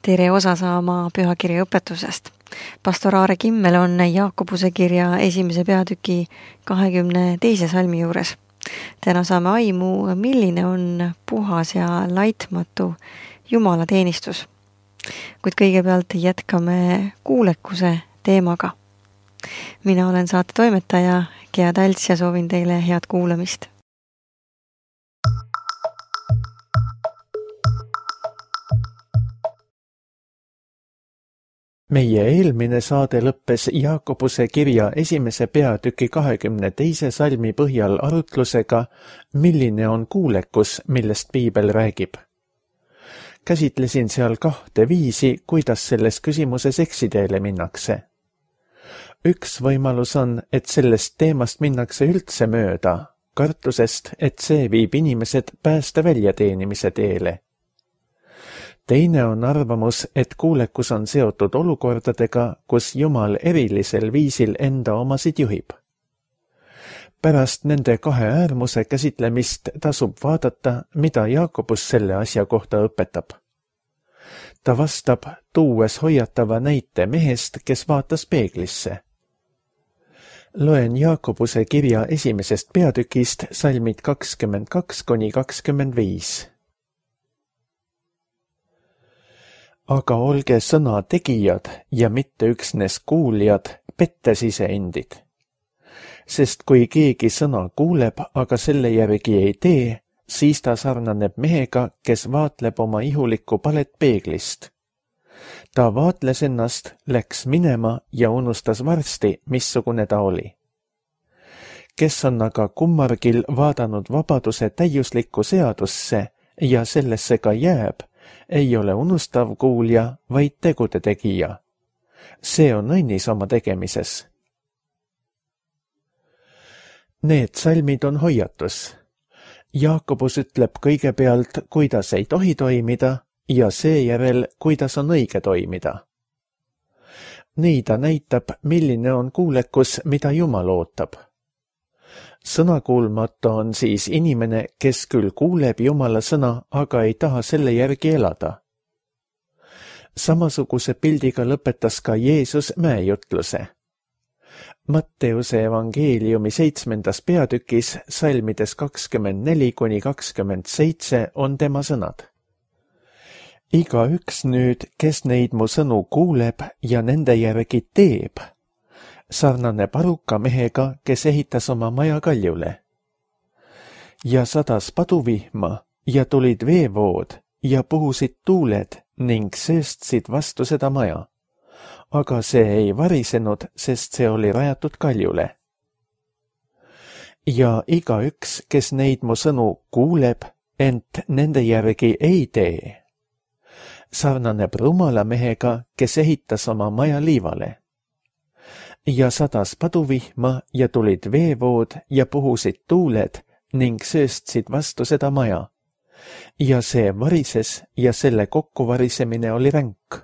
tere osa saama pühakirja õpetusest. Pastor Aare Kimmel on Jaakobuse kirja 1. peatüki 22. salmi juures. Täna saame aimu, milline on puhas ja laitmatu Jumala teenistus. Kuid kõigepealt jätkame kuulekuse teemaga. Mina olen saate toimetaja Gea Talts ja soovin teile head kuulamist. Meie eelmine saade lõppes Jaakobuse kirja 1. peatüki 22. salmi põhjal arutlusega, milline on kuulekus, millest Piibel räägib. Käsitlesin seal 2 viisi, kuidas selles küsimuses eksiteele minnakse. Üks võimalus on, et sellest teemast minnakse üldse mööda, kartusest, et see viib inimesed pääste väljateenimise teele. Teine on arvamus, et kuulekus on seotud olukordadega, kus Jumal erilisel viisil enda omasid juhib. Pärast nende 2 äärmuse käsitlemist tasub vaadata, mida Jaakobus selle asja kohta õpetab. Ta vastab, tuues hoiatava näite mehest, kes vaatas peeglisse. Loen Jaakobuse kirja 1. peatükist salmid 22–25. Aga olge sõna tegijad ja mitte üksnes kuuljad, pettes iseendid. Sest kui keegi sõna kuuleb, aga selle järgi ei tee, siis ta sarnaneb mehega, kes vaatleb oma ihulikku palet peeglist. Ta vaatles ennast, läks minema ja unustas varsti, missugune ta oli. Kes on aga kummargil vaadanud vabaduse täiuslikku seadusse ja sellesse ka jääb, ei ole unustav kuulja, vaid tegude tegija. See on õnnis oma tegemises. Need salmid on hoiatus. Jaakobus ütleb kõigepealt, kuidas ei tohi toimida ja seejärel, kuidas on õige toimida. Nii ta näitab, milline on kuulekus, mida Jumal ootab. Sõnakuulmatu on siis inimene, kes küll kuuleb Jumala sõna, aga ei taha selle järgi elada. Samasuguse pildiga lõpetas ka Jeesus mäejutluse. Matteuse evangeeliumi 7. peatükis salmides 24–27 on tema sõnad. Igaüks nüüd, kes neid mu sõnu kuuleb ja nende järgi teeb, sarnaneb aruka mehega, kes ehitas oma maja kaljule. Ja sadas paduvihma ja tulid veevood ja puhusid tuuled ning sööstsid vastu seda maja. Aga see ei varisenud, sest see oli rajatud kaljule. Ja igaüks, kes neid mu sõnu kuuleb, ent nende järgi ei tee, sarnaneb rumala mehega, kes ehitas oma maja liivale. Ja sadas paduvihma ja tulid veevood ja puhusid tuuled ning sööstsid vastu seda maja. Ja see varises ja selle kokkuvarisemine oli ränk.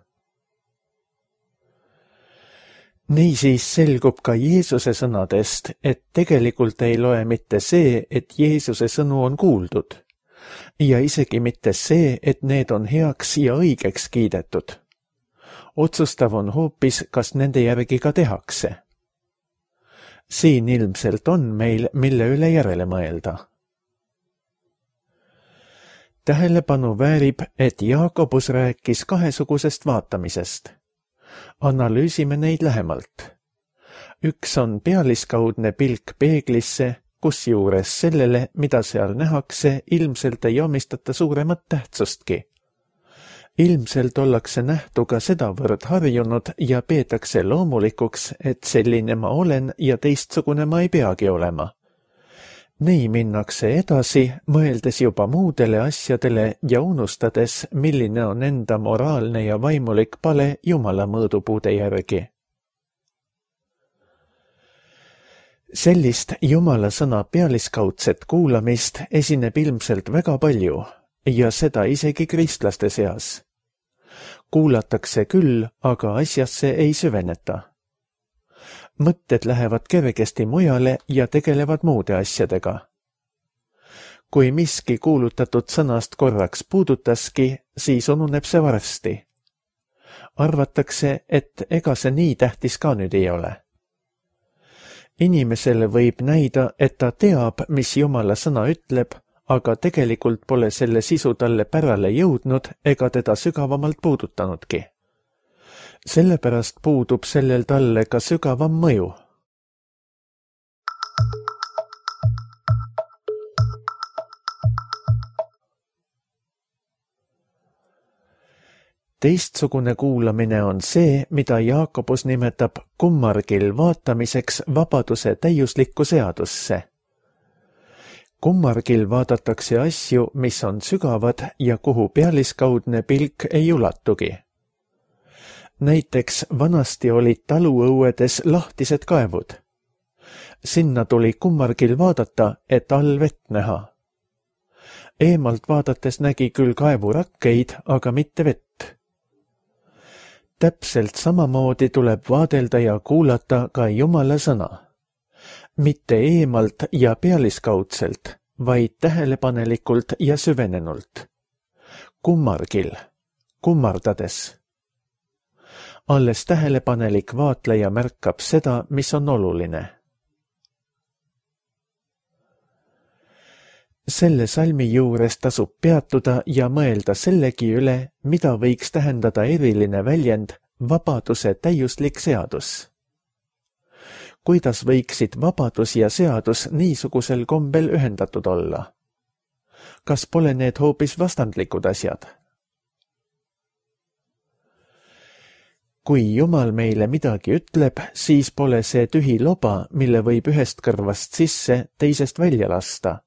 Niisiis selgub ka Jeesuse sõnadest, et tegelikult ei loe mitte see, et Jeesuse sõnu on kuuldud, ja isegi mitte see, et need on heaks ja õigeks kiidetud. Otsustav on hoopis, kas nende järgi ka tehakse. Siin ilmselt on meil, mille üle järele mõelda. Tähelepanu väärib, et Jaakobus rääkis 2 vaatamisest. Analüüsime neid lähemalt. Üks on pealiskaudne pilk peeglisse, kusjuures sellele, mida seal nähakse, ilmselt ei omistata suuremat tähtsustki. Ilmselt ollakse nähtuga sedavõrd harjunud ja peetakse loomulikuks, et selline ma olen ja teistsugune ma ei peagi olema. Nii minnakse edasi, mõeldes juba muudele asjadele ja unustades, milline on enda moraalne ja vaimulik pale Jumala mõõdupuude järgi. Sellist Jumala sõna pealiskaudset kuulamist esineb ilmselt väga palju ja seda isegi kristlaste seas. Kuulatakse küll, aga asjasse ei süveneta. Mõtted lähevad kergesti mujale ja tegelevad muude asjadega. Kui miski kuulutatud sõnast korraks puudutaski, siis ununeb see varsti. Arvatakse, et ega see nii tähtis ka nüüd ei ole. Inimesele võib näida, et ta teab, mis Jumala sõna ütleb, aga tegelikult pole selle sisu talle pärale jõudnud ega teda sügavamalt puudutanudki. Sellepärast puudub sellel talle ka sügavam mõju. Teistsugune kuulamine on see, mida Jaakobus nimetab kummargil vaatamiseks vabaduse täiuslikku seadusse. Kummargil vaadatakse asju, mis on sügavad ja kuhu pealiskaudne pilk ei ulatugi. Näiteks vanasti olid taluõuedes lahtised kaevud. Sinna tuli kummargil vaadata, et all vett näha. Eemalt vaadates nägi küll kaevurakkeid, aga mitte vett. Täpselt samamoodi tuleb vaadelda ja kuulata ka Jumala sõna. Mitte eemalt ja pealiskaudselt, vaid tähelepanelikult ja süvenenult. Kummargil, kummardades. Alles tähelepanelik vaatleja märkab seda, mis on oluline. Selle salmi juures tasub peatuda ja mõelda sellegi üle, mida võiks tähendada eriline väljend vabaduse täiuslik seadus. Kuidas võiksid vabadus ja seadus niisugusel kombel ühendatud olla? Kas pole need hoopis vastandlikud asjad? Kui Jumal meile midagi ütleb, siis pole see tühi loba, mille võib ühest kõrvast sisse, teisest välja lasta,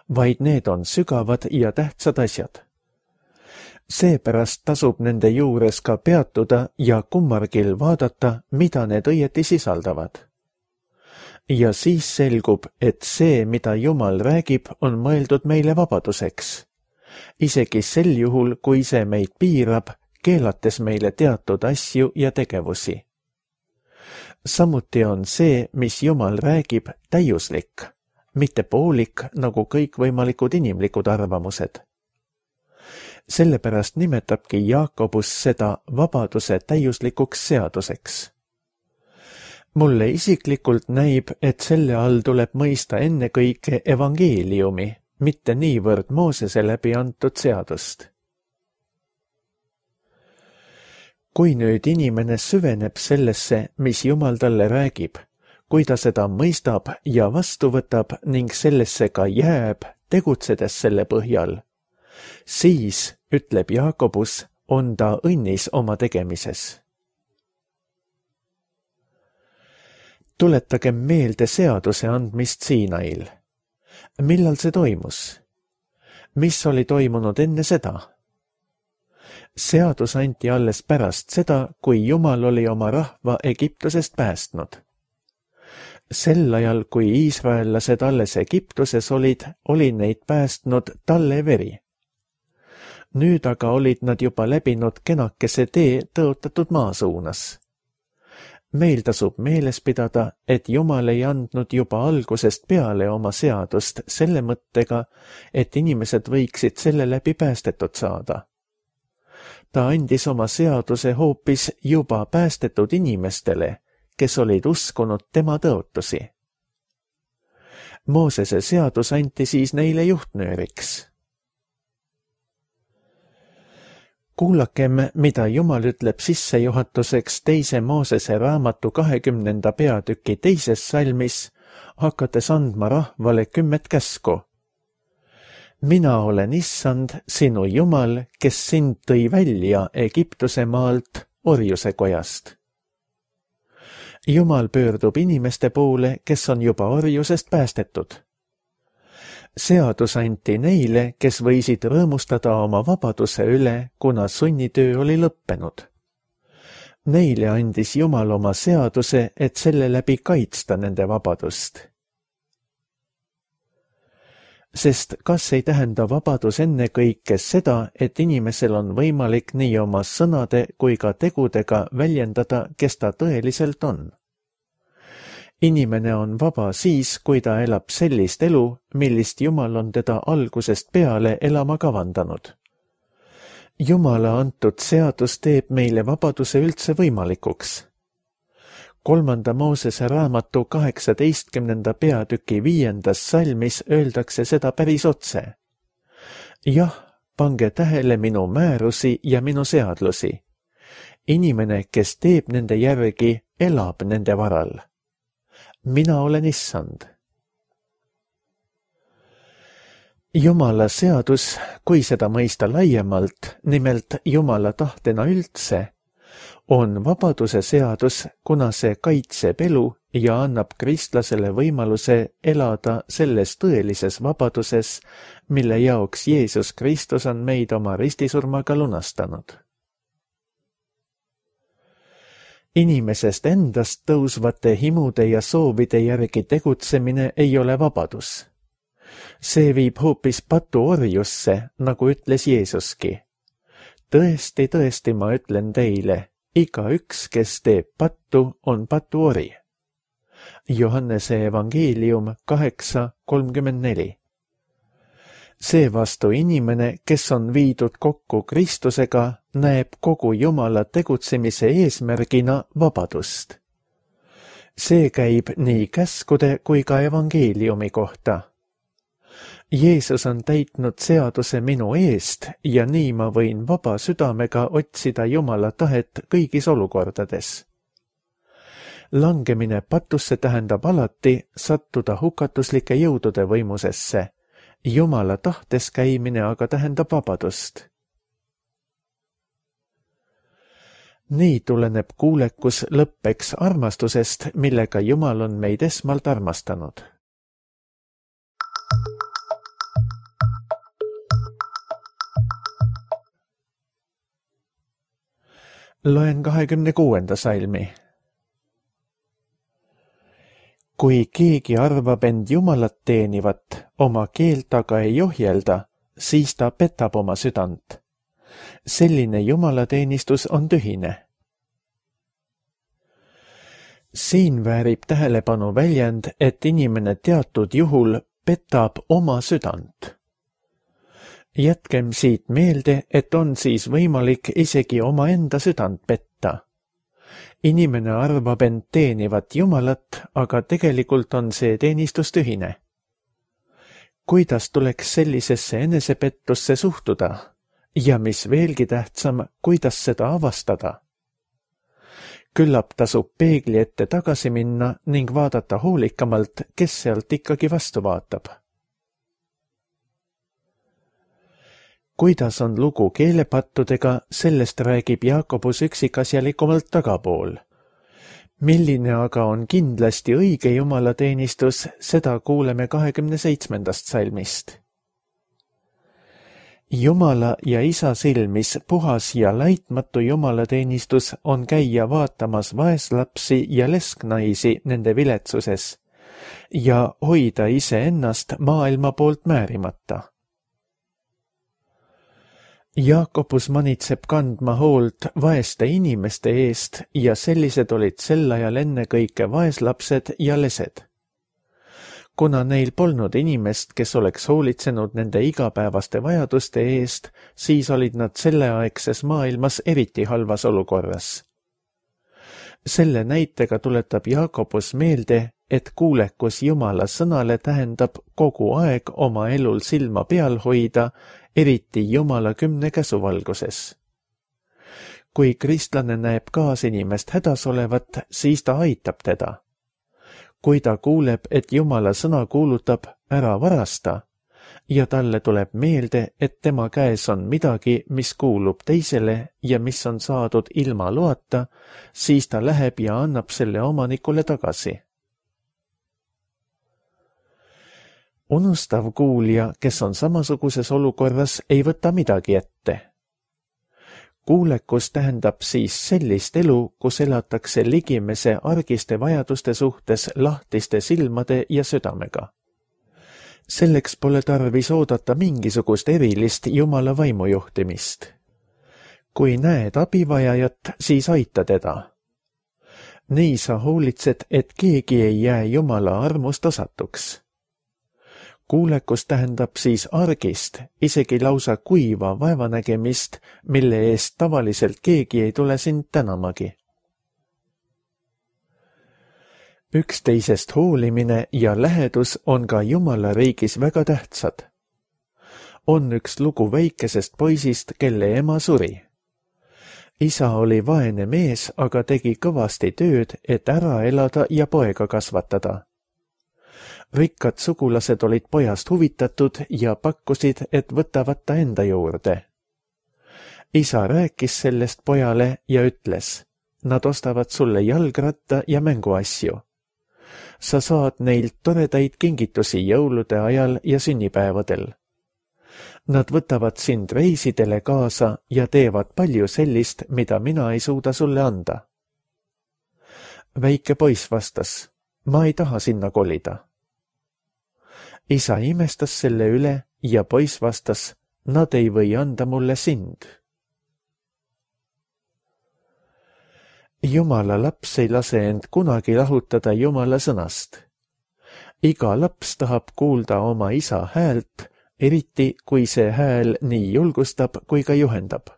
vaid need on sügavad ja tähtsad asjad. Seepärast tasub nende juures ka peatuda ja kummargil vaadata, mida need õieti sisaldavad. Ja siis selgub, et see, mida Jumal räägib, on mõeldud meile vabaduseks. Isegi sel juhul, kui see meid piirab, keelates meile teatud asju ja tegevusi. Samuti on see, mis Jumal räägib, täiuslik, mitte poolik nagu kõikvõimalikud inimlikud arvamused. Sellepärast nimetabki Jaakobus seda vabaduse täiuslikuks seaduseks. Mulle isiklikult näib, et selle all tuleb mõista ennekõike evangeeliumi, mitte niivõrd Moosese läbi antud seadust. Kui nüüd inimene süveneb sellesse, mis Jumal talle räägib, kui ta seda mõistab ja vastu võtab ning sellesse ka jääb, tegutsedes selle põhjal, siis, ütleb Jaakobus, on ta õnnis oma tegemises. Tuletagem meelde seaduse andmist Siinail. Millal see toimus? Mis oli toimunud enne seda? Seadus anti alles pärast seda, kui Jumal oli oma rahva Egiptusest päästnud. Sel ajal, kui iisraellased alles Egiptuses olid, oli neid päästnud talle veri. Nüüd aga olid nad juba läbinud kenakese tee tõotatud maa suunas. Meil tasub meeles pidada, et Jumal ei andnud juba algusest peale oma seadust selle mõttega, et inimesed võiksid selle läbi päästetud saada. Ta andis oma seaduse hoopis juba päästetud inimestele, kes olid uskunud tema tõotusi. Moosese seadus anti siis neile juhtnööriks. Kuulakem, mida Jumal ütleb sissejuhatuseks 2. Moosese raamatu 20. peatüki 2. salmis, hakates andma rahvale 10 käsku. Mina olen Issand, sinu Jumal, kes sind tõi välja Egiptuse maalt orjuse kojast. Jumal pöördub inimeste poole, kes on juba orjusest päästetud. Seadus anti neile, kes võisid rõõmustada oma vabaduse üle, kuna sunnitöö oli lõppenud. Neile andis Jumal oma seaduse, et selle läbi kaitsta nende vabadust. Sest kas ei tähenda vabadus ennekõike seda, et inimesel on võimalik nii oma sõnade kui ka tegudega väljendada, kes ta tõeliselt on? Inimene on vaba siis, kui ta elab sellist elu, millist Jumal on teda algusest peale elama kavandanud. Jumala antud seadus teeb meile vabaduse üldse võimalikuks. 3. Moosese raamatu 18. peatüki 5. salmis öeldakse seda päris otse. Jah, pange tähele minu määrusi ja minu seadlusi. Inimene, kes teeb nende järgi, elab nende varal. Mina olen Issand. Jumala seadus, kui seda mõista laiemalt, nimelt Jumala tahtena üldse, on vabaduse seadus, kuna see kaitseb elu ja annab kristlasele võimaluse elada selles tõelises vabaduses, mille jaoks Jeesus Kristus on meid oma ristisurmaga lunastanud. Inimesest endast tõusvate himude ja soovide järgi tegutsemine ei ole vabadus. See viib hoopis patuorjusse, nagu ütles Jeesuski. Tõesti, tõesti, ma ütlen teile, igaüks, kes teeb pattu, on patuori. Johannese evangeelium 8:34. Seevastu inimene, kes on viidud kokku Kristusega, näeb kogu Jumala tegutsemise eesmärgina vabadust. See käib nii käskude kui ka evangeeliumi kohta. Jeesus on täitnud seaduse minu eest ja nii ma võin vaba südamega otsida Jumala tahet kõigis olukordades. Langemine patusse tähendab alati sattuda hukatuslike jõudude võimusesse. Jumala tahtes käimine aga tähendab vabadust. Nii tuleneb kuulekus lõppeks armastusest, millega Jumal on meid esmalt armastanud. Loen 26. salmi. Kui keegi arvab end Jumalat teenivat, oma keelt aga ei ohjelda, siis ta petab oma südant. Selline jumalateenistus on tühine. Siin väärib tähelepanu väljend, et inimene teatud juhul petab oma südant. Jätkem siit meelde, et on siis võimalik isegi omaenda südant petta. Inimene arvab end teenivat Jumalat, aga tegelikult on see teenistus tühine. Kuidas tuleks sellisesse enesepettusse suhtuda? Ja mis veelgi tähtsam, kuidas seda avastada? Küllap tasub peegli ette tagasi minna ning vaadata hoolikamalt, kes sealt ikkagi vastu vaatab. Kuidas on lugu keelepattudega, sellest räägib Jaakobus üksikasjalikumalt tagapool. Milline aga on kindlasti õige jumalateenistus, seda kuuleme 27. salmist. Jumala ja Isa silmis puhas ja laitmatu jumalateenistus on käia vaatamas vaeslapsi ja lesknaisi nende viletsuses ja hoida iseennast maailma poolt määrimata. Jaakobus manitseb kandma hoolt vaeste inimeste eest ja sellised olid sel ajal ennekõike vaeslapsed ja lesed. Kuna neil polnud inimest, kes oleks hoolitsenud nende igapäevaste vajaduste eest, siis olid nad selleaegses maailmas eriti halvas olukorras. Selle näitega tuletab Jaakobus meelde, et kuulekus Jumala sõnale tähendab kogu aeg oma elul silma peal hoida, eriti Jumala 10 käsu valguses. Kui kristlane näeb kaasinimest hädas olevat, siis ta aitab teda. Kui ta kuuleb, et Jumala sõna kuulutab ära varasta ja talle tuleb meelde, et tema käes on midagi, mis kuulub teisele ja mis on saadud ilma loata, siis ta läheb ja annab selle omanikule tagasi. Unustav kuulja, kes on samasuguses olukorras, ei võta midagi ette. Kuulekus tähendab siis sellist elu, kus elatakse ligimese argiste vajaduste suhtes lahtiste silmade ja südamega. Selleks pole tarvis oodata mingisugust erilist Jumala vaimujuhtimist. Kui näed abivajajat, siis aita teda. Nii sa hoolitsed, et keegi ei jää Jumala armust osatuks. Kuulekus tähendab siis argist, isegi lausa kuiva vaevanägemist, mille eest tavaliselt keegi ei tule sind tänamagi. Üksteisest hoolimine ja lähedus on ka Jumala riigis väga tähtsad. On üks lugu väikesest poisist, kelle ema suri. Isa oli vaene mees, aga tegi kõvasti tööd, et ära elada ja poega kasvatada. Rikkad sugulased olid pojast huvitatud ja pakkusid, et võtavad ta enda juurde. Isa rääkis sellest pojale ja ütles, nad ostavad sulle jalgratta ja mänguasju. Sa saad neilt toredaid kingitusi jõulude ajal ja sünnipäevadel. Nad võtavad sind reisidele kaasa ja teevad palju sellist, mida mina ei suuda sulle anda. Väike poiss vastas, ma ei taha sinna kolida. Isa imestas selle üle ja poiss vastas, nad ei või anda mulle sind. Jumala laps ei lase end kunagi lahutada Jumala sõnast. Iga laps tahab kuulda oma isa häält, eriti kui see hääl nii julgustab kui ka juhendab.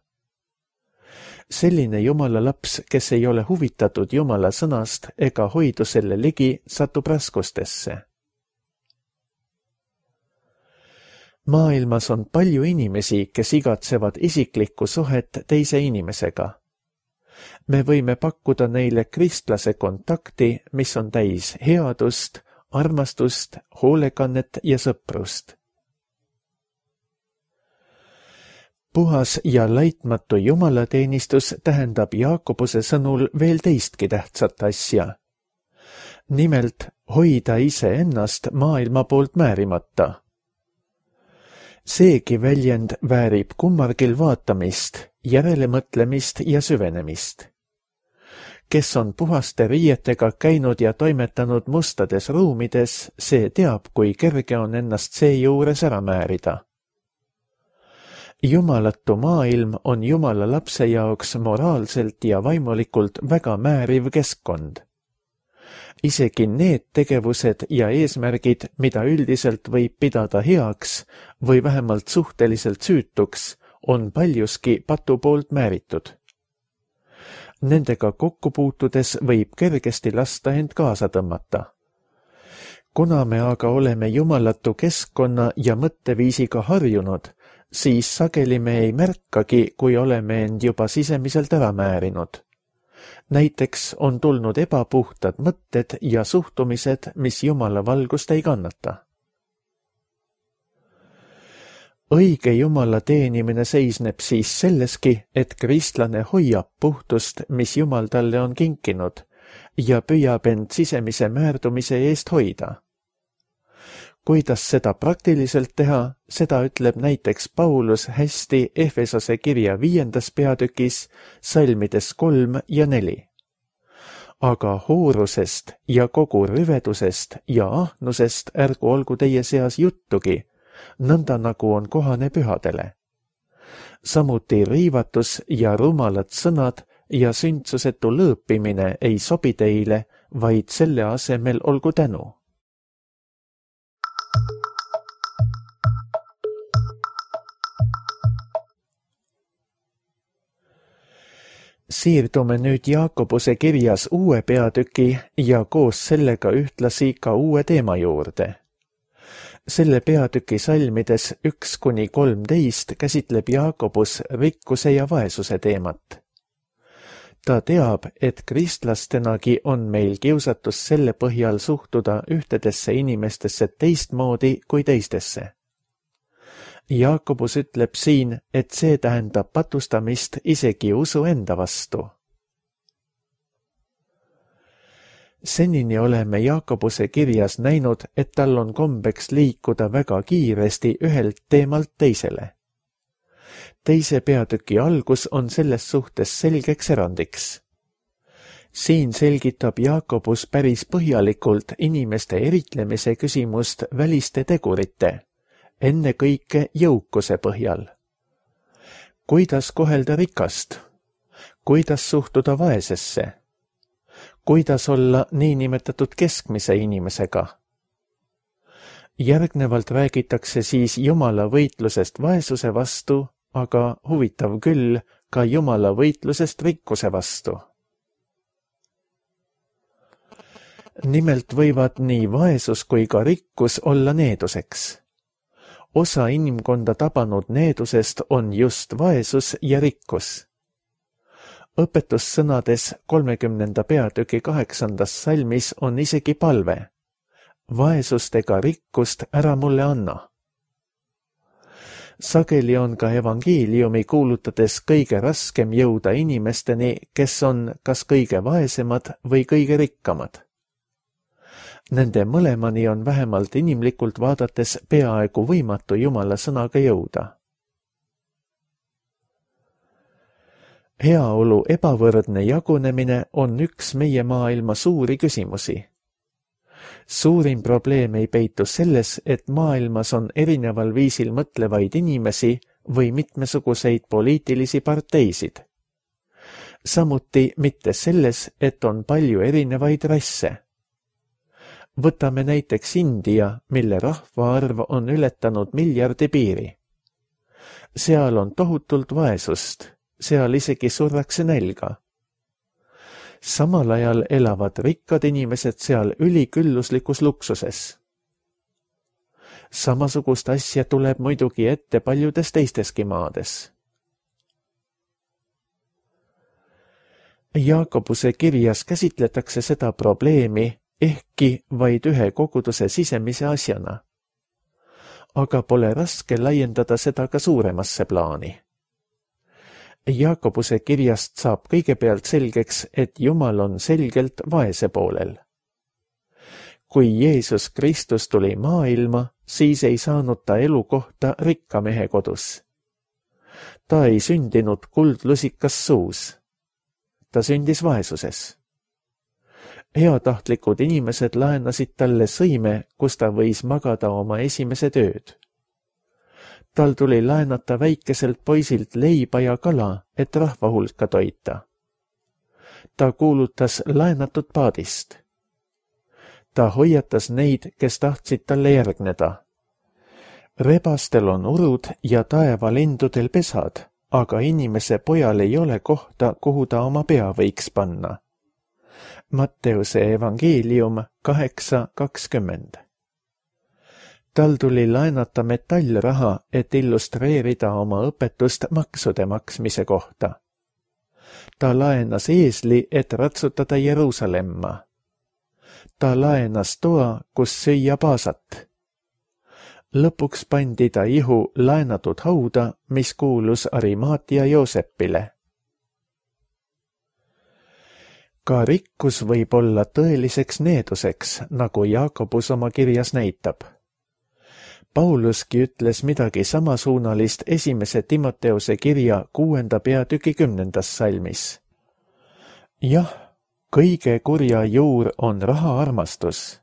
Selline Jumala laps, kes ei ole huvitatud Jumala sõnast ega hoidu selle ligi, satub raskustesse. Maailmas on palju inimesi, kes igatsevad isiklikku suhet teise inimesega. Me võime pakkuda neile kristlase kontakti, mis on täis headust, armastust, hoolekannet ja sõprust. Puhas ja laitmatu jumalateenistus tähendab Jaakobuse sõnul veel teistki tähtsat asja. Nimelt hoida iseennast maailma poolt määrimata. Seegi väljend väärib kummargil vaatamist, järelemõtlemist ja süvenemist. Kes on puhaste riietega käinud ja toimetanud mustades ruumides, see teab, kui kerge on ennast seejuures ära määrida. Jumalatu maailm on Jumala lapse jaoks moraalselt ja vaimulikult väga määriv keskkond. Isegi need tegevused ja eesmärgid, mida üldiselt võib pidada heaks või vähemalt suhteliselt süütuks, on paljuski patu poolt määritud. Nendega kokku puutudes võib kergesti lasta end kaasa tõmmata. Kuna me aga oleme jumalatu keskkonna ja mõtteviisiga harjunud, siis sageli me ei märkagi, kui oleme end juba sisemiselt ära määrinud. Näiteks on tulnud ebapuhtad mõtted ja suhtumised, mis Jumala valgust ei kannata. Õige Jumala teenimine seisneb siis selleski, et kristlane hoiab puhtust, mis Jumal talle on kinkinud, ja püüab end sisemise määrdumise eest hoida. Kuidas seda praktiliselt teha, seda ütleb näiteks Paulus hästi Efesose kirja 5. peatükis, salmides 3 ja 4. Aga hoorusest ja kogu rüvedusest ja ahnusest ärgu olgu teie seas juttugi, nõnda nagu on kohane pühadele. Samuti riivatus ja rumalad sõnad ja sündsusetu lõõpimine ei sobi teile, vaid selle asemel olgu tänu. Siirdume nüüd Jaakobuse kirjas uue peatüki ja koos sellega ühtlasi ka uue teema juurde. Selle peatüki salmides 1–13 käsitleb Jaakobus rikkuse ja vaesuse teemat. Ta teab, et kristlastenagi on meil kiusatus selle põhjal suhtuda ühtedesse inimestesse teistmoodi kui teistesse. Jaakobus ütleb siin, et see tähendab patustamist isegi usu enda vastu. Senini oleme Jaakobuse kirjas näinud, et tal on kombeks liikuda väga kiiresti ühelt teemalt teisele. Teise peatüki algus on selles suhtes selgeks erandiks. Siin selgitab Jaakobus päris põhjalikult inimeste eritlemise küsimust väliste tegurite, enne kõike jõukuse põhjal. Kuidas kohelda rikast? Kuidas suhtuda vaesesse? Kuidas olla niinimetatud keskmise inimesega? Järgnevalt räägitakse siis Jumala võitlusest vaesuse vastu, aga huvitav küll, ka Jumala võitlusest rikkuse vastu. Nimelt võivad nii vaesus kui ka rikkus olla needuseks. Osa inimkonda tabanud needusest on just vaesus ja rikkus. Õpetussõnades 30. peatüki 8. salmis on isegi palve. Vaesust ega rikkust ära mulle anna. Sageli on ka evangeeliumi kuulutades kõige raskem jõuda inimesteni, kes on kas kõige vaesemad või kõige rikkamad. Nende mõlemani on vähemalt inimlikult vaadates peaaegu võimatu Jumala sõnaga jõuda. Heaolu ebavõrdne jagunemine on üks meie maailma suuri küsimusi. Suurim probleem ei peitu selles, et maailmas on erineval viisil mõtlevaid inimesi või mitmesuguseid poliitilisi parteisid. Samuti mitte selles, et on palju erinevaid rasse. Võtame näiteks India, mille rahvaarv on ületanud miljardi piiri. Seal on tohutult vaesust, seal isegi surrakse nälga. Samal ajal elavad rikkad inimesed seal ülikülluslikus luksuses. Samasugust asja tuleb muidugi ette paljudes teisteski maades. Jaakobuse kirjas käsitletakse seda probleemi ehkki vaid ühe koguduse sisemise asjana. Aga pole raske laiendada seda ka suuremasse plaani. Jaakobuse kirjast saab kõigepealt selgeks, et Jumal on selgelt vaese poolel. Kui Jeesus Kristus tuli maailma, siis ei saanud ta elukohta rikka mehe kodus. Ta ei sündinud kuldlusikas suus. Ta sündis vaesuses. Heatahtlikud inimesed laenasid talle sõime, kus ta võis magada oma esimesed ööd. Tal tuli laenata väikeselt poisilt leiba ja kala, et rahva hulka toita. Ta kuulutas laenatud paadist. Ta hoiatas neid, kes tahtsid talle järgneda. Rebastel on urud ja taevalindudel pesad, aga inimese pojal ei ole kohta, kuhu ta oma pea võiks panna. Matteuse evangeelium 8:20. Tal tuli laenata metallraha, et illustreerida oma õpetust maksude maksmise kohta. Ta laenas eesli, et ratsutada Jeruusalemma. Ta laenas toa, kus süüa paasat. Lõpuks pandi ta ihu laenatud hauda, mis kuulus Arimaatia Joosepile. Ka rikkus võib olla tõeliseks needuseks, nagu Jaakobus oma kirjas näitab. Pauluski ütles midagi samasuunalist 1. Timoteuse kirja 6. peatüki 10. salmis. Jah, kõige kurja juur on rahaarmastus,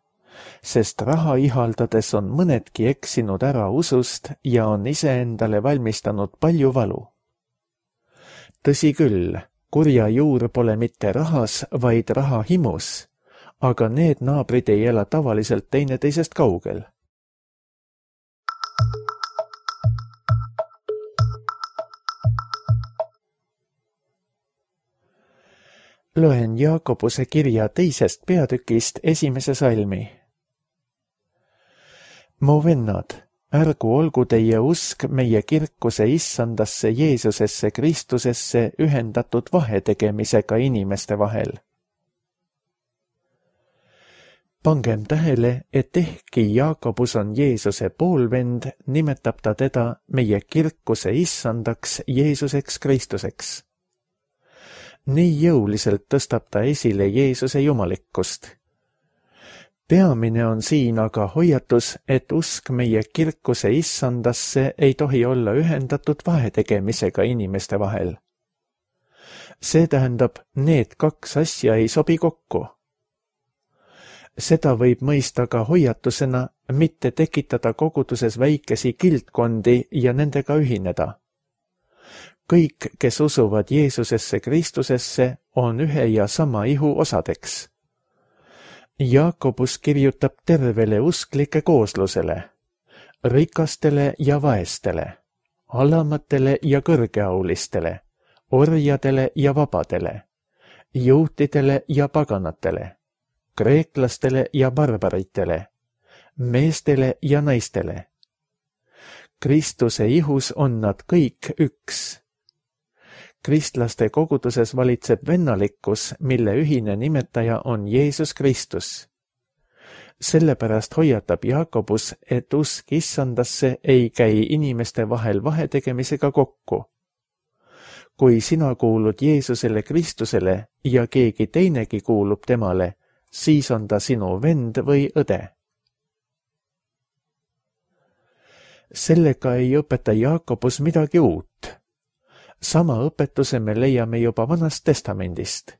sest raha ihaldades on mõnedki eksinud ära usust ja on iseendale valmistanud palju valu. Tõsi küll, kurja juur pole mitte rahas, vaid rahahimus, aga need naabrid ei ela tavaliselt teineteisest kaugel. Loen Jaakobuse kirja 2. peatükist 1. salmi. Mu vennad, ärgu olgu teie usk meie kirkuse issandasse Jeesusesse Kristusesse ühendatud vahetegemisega inimeste vahel. Pangem tähele, et ehkki Jaakobus on Jeesuse poolvend, nimetab ta teda meie kirkuse issandaks Jeesuseks Kristuseks. Nii jõuliselt tõstab ta esile Jeesuse jumalikkust. Peamine on siin aga hoiatus, et usk meie kirkuse issandasse ei tohi olla ühendatud vahetegemisega inimeste vahel. See tähendab, need kaks asja ei sobi kokku. Seda võib mõista ka hoiatusena, mitte tekitada koguduses väikesi kildkondi ja nendega ühineda. Kõik, kes usuvad Jeesusesse Kristusesse, on ühe ja sama ihu osadeks. Jaakobus kirjutab tervele usklike kooslusele, rikastele ja vaestele, alamatele ja kõrgeaulistele, orjadele ja vabadele, juutidele ja paganatele, kreeklastele ja barbaritele, meestele ja naistele. Kristuse ihus on nad kõik üks. Kristlaste koguduses valitseb vennalikkus, mille ühine nimetaja on Jeesus Kristus. Sellepärast hoiatab Jaakobus, et usk issandasse ei käi inimeste vahel vahetegemisega kokku. Kui sina kuulud Jeesusele Kristusele ja keegi teinegi kuulub temale, siis on ta sinu vend või õde. Sellega ei õpeta Jaakobus midagi uut. Sama õpetuse me leiame juba Vanast Testamendist.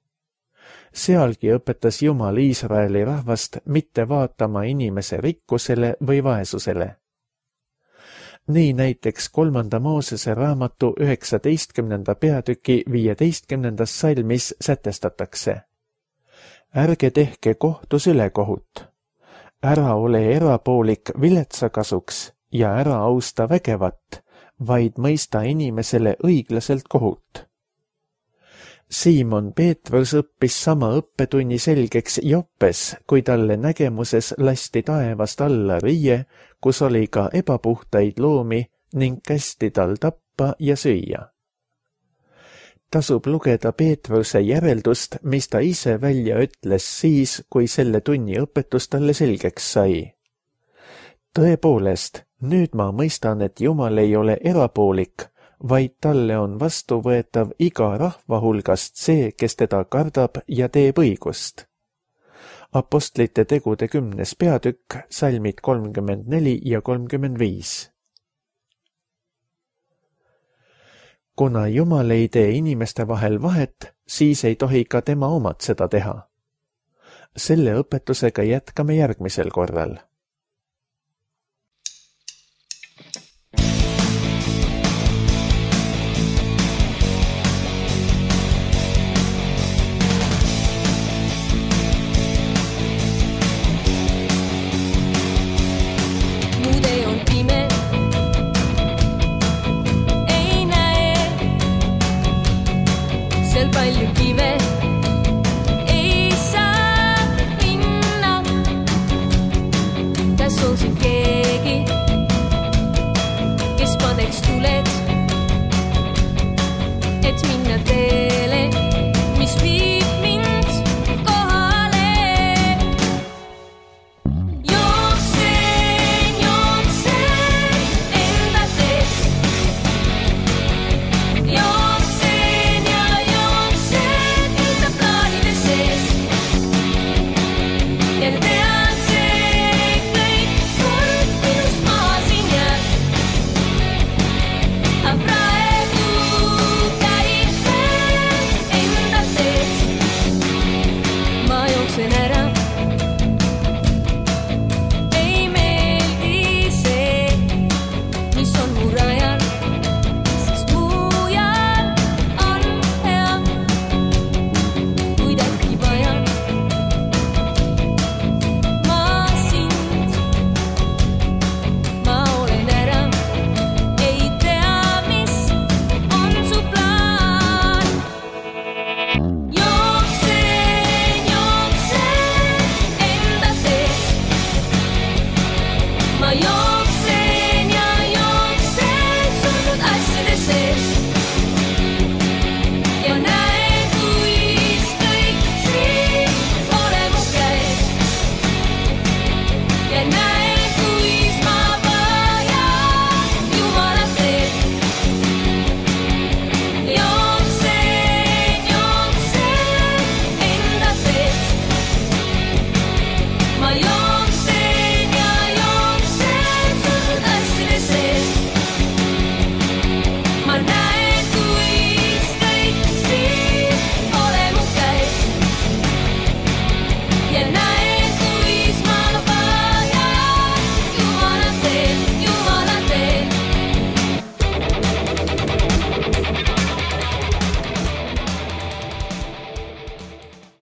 Sealgi õpetas Jumal Iisraeli rahvast mitte vaatama inimese rikkusele või vaesusele. Nii näiteks 3. Moosese raamatu 19. peatüki 15. salmis sätestatakse. Ärge tehke kohtus ülekohut. Ära ole erapoolik viletsa kasuks ja ära austa vägevat, vaid mõista inimesele õiglaselt kohut. Siimon Peetrus õppis sama õppetunni selgeks Joppes, kui talle nägemuses lasti taevast alla riie, kus oli ka ebapuhtaid loomi ning kästi tal tappa ja süüa. Tasub lugeda Peetruse järeldust, mis ta ise välja ütles siis, kui selle tunni õpetus talle selgeks sai. Tõepoolest, nüüd ma mõistan, et Jumal ei ole erapoolik, vaid talle on vastuvõetav iga rahva hulgast see, kes teda kardab ja teeb õigust. Apostlite tegude 10. peatükk, salmid 34 ja 35. Kuna Jumal ei tee inimeste vahel vahet, siis ei tohi ka tema omad seda teha. Selle õpetusega jätkame järgmisel korral. Palju kive ei saa minna. Kas on siin keegi, kes paneks tuled, et minna teele, mis viib mind kohale? Jooksen enda teed. Ära